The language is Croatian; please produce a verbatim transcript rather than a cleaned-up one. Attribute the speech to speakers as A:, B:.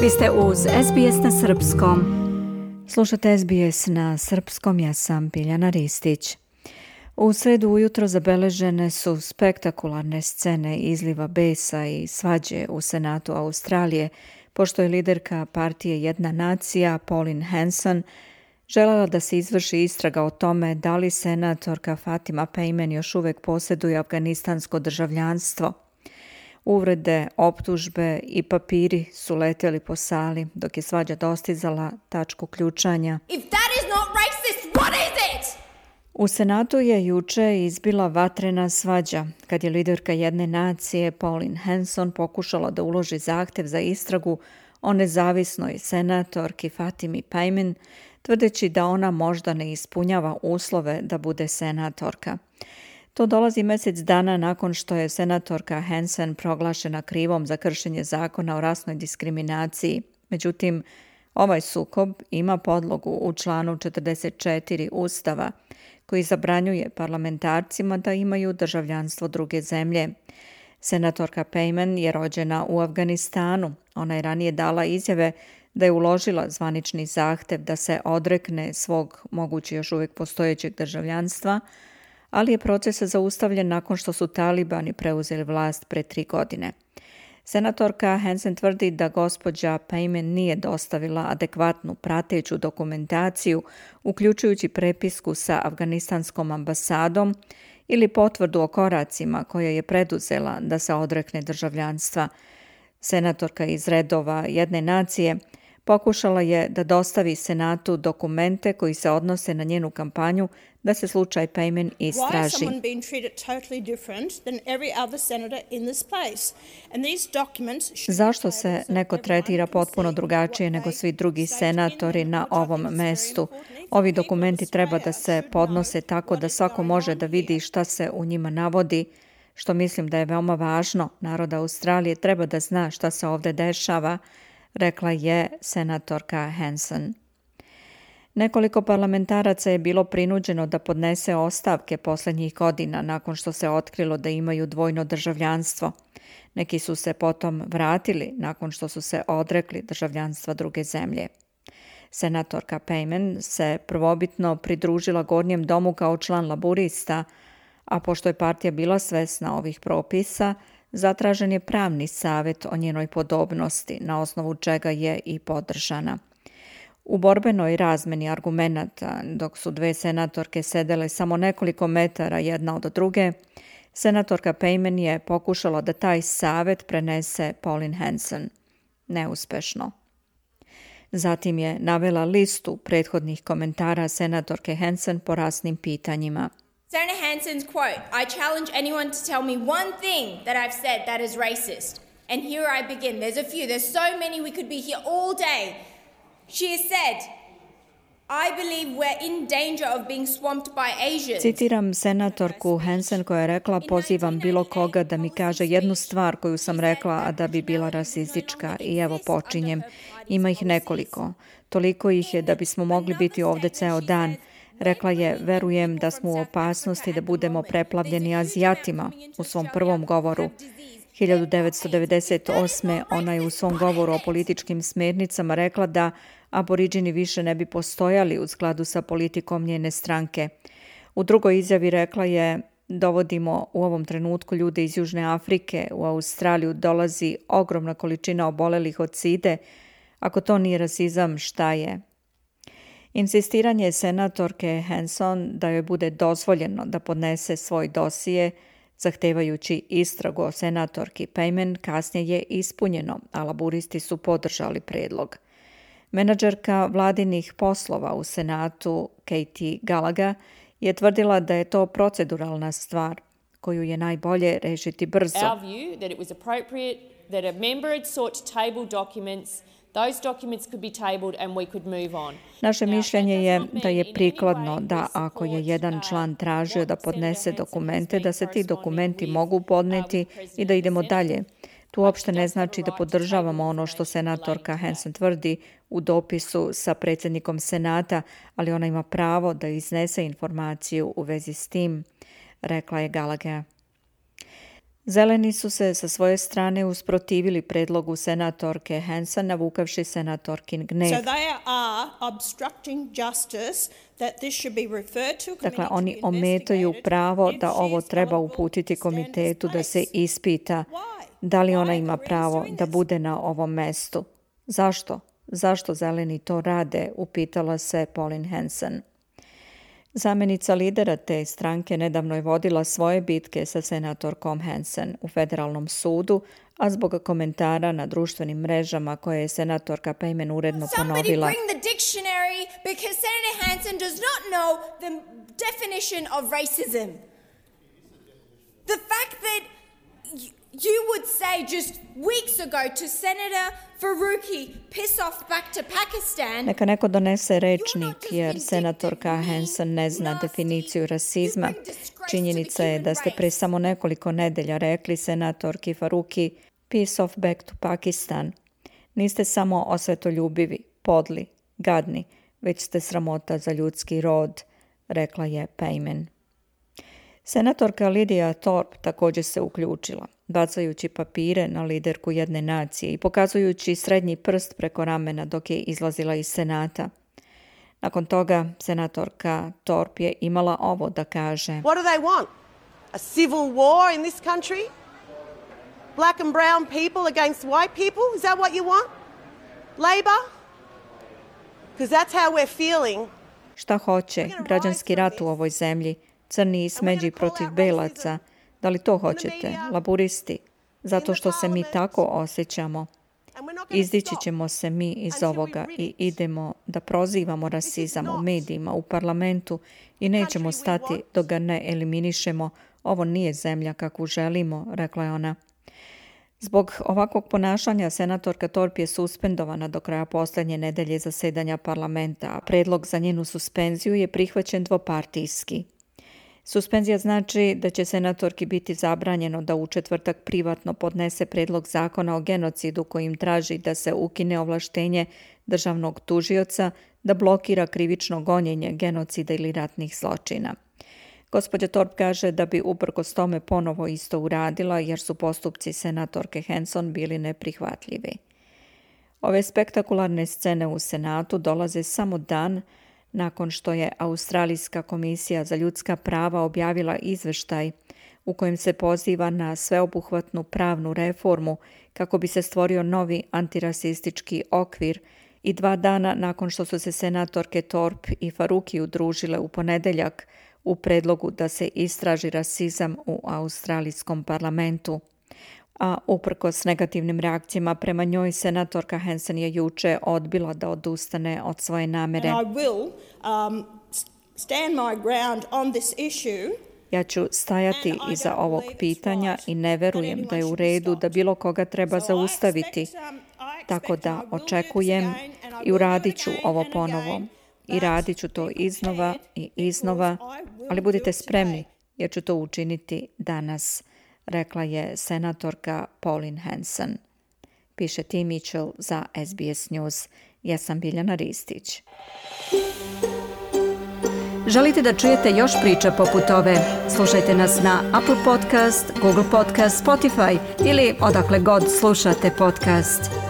A: Vi ste uz S B S na srpskom.
B: Slušate S B S na srpskom, ja sam Biljana Ristić. U sredu ujutro zabeležene su spektakularne scene izliva besa i svađe u Senatu Australije, pošto je liderka partije Jedna nacija, Pauline Hanson, željela da se izvrši istraga o tome da li senatorka Fatima Payman još uvijek posjeduje afganistansko državljanstvo. Uvrede, optužbe i papiri su letjeli po sali dok je svađa dostizala tačku ključanja.
C: If that is not racist, what is it?
B: U Senatu je juče izbila vatrena svađa kad je liderka Jedne nacije Pauline Hanson pokušala da uloži zahtjev za istragu o nezavisnoj senatorki Fatimi Payman, tvrdeći da ona možda ne ispunjava uslove da bude senatorka. To dolazi mjesec dana nakon što je senatorka Hanson proglašena krivom za kršenje zakona o rasnoj diskriminaciji. Međutim, ovaj sukob ima podlogu u članu četrdeset četiri Ustava, koji zabranjuje parlamentarcima da imaju državljanstvo druge zemlje. Senatorka Payman je rođena u Afganistanu. Ona je ranije dala izjave da je uložila zvanični zahtjev da se odrekne svog moguće još uvijek postojećeg državljanstva, ali je proces zaustavljen nakon što su talibani preuzeli vlast pre tri godine. Senatorka Hanson tvrdi da gospođa Payman nije dostavila adekvatnu prateću dokumentaciju, uključujući prepisku sa afganistanskom ambasadom ili potvrdu o koracima koje je preduzela da se odrekne državljanstva. Senatorka iz redova Jedne nacije pokušala je da dostavi Senatu dokumente koji se odnose na njenu kampanju da se slučaj Payman istraži. Zašto se neko tretira potpuno drugačije nego svi drugi senatori na ovom mestu? Ovi dokumenti treba da se podnose tako da svako može da vidi šta se u njima navodi, što mislim da je veoma važno. Narod Australije treba da zna šta se ovdje dešava, rekla je senatorka Hanson. Nekoliko parlamentaraca je bilo prinuđeno da podnese ostavke posljednjih godina nakon što se otkrilo da imaju dvojno državljanstvo. Neki su se potom vratili nakon što su se odrekli državljanstva druge zemlje. Senatorka Payman se prvobitno pridružila Gornjem domu kao član laburista, a pošto je partija bila svesna ovih propisa, zatražen je pravni savjet o njenoj podobnosti, na osnovu čega je i podržana. U borbenoj razmeni argumenata, dok su dve senatorke sedele samo nekoliko metara jedna od druge, senatorka Payman je pokušala da taj savjet prenese Pauline Hanson. Neuspešno. Zatim je navela listu prethodnih komentara senatorke Hanson po rasnim pitanjima.
C: Senator Hanson's quote, I challenge anyone to tell me one thing that I've said that is racist. And here I begin. There's a few. There's so many we could be here all day. She has said, I believe we're in danger of being swamped by Asians.
B: Citiram senatorku Hanson koja je rekla, pozivam bilo koga da mi kaže jednu stvar koju sam rekla, a da bi bila rasistička. I evo počinjem. Ima ih nekoliko. Toliko ih je da bismo mogli biti ovdje ceo dan. Rekla je, verujem da smo u opasnosti da budemo preplavljeni Azijatima u svom prvom govoru. hiljadu devetsto devedeset osme ona je u svom govoru o političkim smernicama rekla da aboriđini više ne bi postojali u skladu sa politikom njene stranke. U drugoj izjavi rekla je, dovodimo u ovom trenutku ljude iz Južne Afrike, u Australiju dolazi ogromna količina obolelih od side. Ako to nije rasizam, šta je? Insistiranje senatorke Hanson da joj bude dozvoljeno da podnese svoj dosije, zahtevajući istragu o senatorki Payman, kasnije je ispunjeno, a laburisti su podržali predlog. Menadžerka vladinih poslova u Senatu, Katie Gallagher, je tvrdila da je to proceduralna stvar koju je najbolje rešiti brzo.
D: Our view that it was appropriate that a member had sought to table documents. Those documents could be tabled and we could move on.
B: Naše mišljenje je da je prikladno da ako je jedan član tražio da podnese dokumente, da se ti dokumenti mogu podneti i da idemo dalje. Tu uopšte ne znači da podržavamo ono što senatorka Hanson tvrdi u dopisu sa predsjednikom Senata, ali ona ima pravo da iznese informaciju u vezi s tim, rekla je Gallagher. Zeleni su se sa svoje strane usprotivili predlogu senatorke Hanson, navukavši senatorkin gnev.
E: So they are obstructing justice that this should be referred to a committee
B: Dakle,
E: to
B: oni
E: be
B: ometaju
E: investigated
B: pravo
E: and
B: da ovo
E: she's
B: treba
E: eligible
B: uputiti
E: to stand in
B: komitetu
E: this
B: da se
E: place.
B: ispita
E: Why?
B: da li ona
E: Why
B: ima
E: are Koreans
B: pravo
E: doing
B: da
E: this?
B: bude na ovom mestu. Zašto? Zašto zeleni to rade? Upitala se Pauline Hanson. Zamenica lidera te stranke nedavno je vodila svoje bitke sa senatorkom Hanson u federalnom sudu, a zbog komentara na društvenim mrežama koje je senatorka Payman uredno
C: Somebody
B: ponovila.
C: bring the dictionary because Senator Hanson does not know the definition of racism. The fact that y- you would say just weeks ago to Senator Faruqi, piss off back to Pakistan.
B: Neka neko donese rečnik jer senatorka Hanson ne zna definiciju rasizma. Činjenica je da ste pre samo nekoliko nedelja rekli senatorki Faruqi peace off back to Pakistan. Niste samo osvetoljubivi, podli, gadni, već ste sramota za ljudski rod, rekla je Payman. Senatorka Lydia Thorpe također se uključila, bacajući papire na liderku jedne nacije i pokazujući srednji prst preko ramena dok je izlazila iz Senata. Nakon toga, senatorka Thorpe je imala ovo da kaže.
F: What do they want? A civil war in this country? Black and brown people against white people? Is that what you want? Labour? Because that's how we're feeling.
B: Šta hoće? Građanski rat u ovoj zemlji, crni i smeđi protiv belaca. Da li to hoćete? Laburisti? Zato što se mi tako osjećamo. Izdići ćemo se mi iz ovoga i idemo da prozivamo rasizam u medijima, u parlamentu i nećemo stati dok ga ne eliminišemo. Ovo nije zemlja kakvu želimo, rekla je ona. Zbog ovakvog ponašanja senatorka Thorpe je suspendovana do kraja posljednje nedelje zasedanja parlamenta, a predlog za njenu suspenziju je prihvaćen dvopartijski. Suspenzija znači da će senatorki biti zabranjeno da u četvrtak privatno podnese predlog zakona o genocidu kojim traži da se ukine ovlaštenje državnog tužioca da blokira krivično gonjenje genocida ili ratnih zločina. Gospođa Thorpe kaže da bi uprkos tome ponovo isto uradila jer su postupci senatorke Hanson bili neprihvatljivi. Ove spektakularne scene u Senatu dolaze samo dan nakon što je Australijska komisija za ljudska prava objavila izveštaj u kojem se poziva na sveobuhvatnu pravnu reformu kako bi se stvorio novi antirasistički okvir i dva dana nakon što su se senatorke Thorpe i Faruqi udružile u ponedeljak u predlogu da se istraži rasizam u australijskom parlamentu. A uprkos negativnim reakcijama prema njoj, senatorka Hanson je juče odbila da odustane od svoje namere.
E: And I will um, stand my ground on this issue.
B: Ja ću stajati iza ovog pitanja i ne verujem da je u redu da bilo koga treba zaustaviti. Tako da očekujem i uradit ću ovo ponovo. I radit ću to iznova i iznova, ali budite spremni jer ću to učiniti danas, rekla je senatorka Pauline Hanson. Piše Tim Mitchell za S B S News. Ja sam Biljana Ristić.
A: Želite da čujete još priča poput ove? Slušajte nas na Apple Podcast, Google Podcast, Spotify ili odakle god slušate podcast.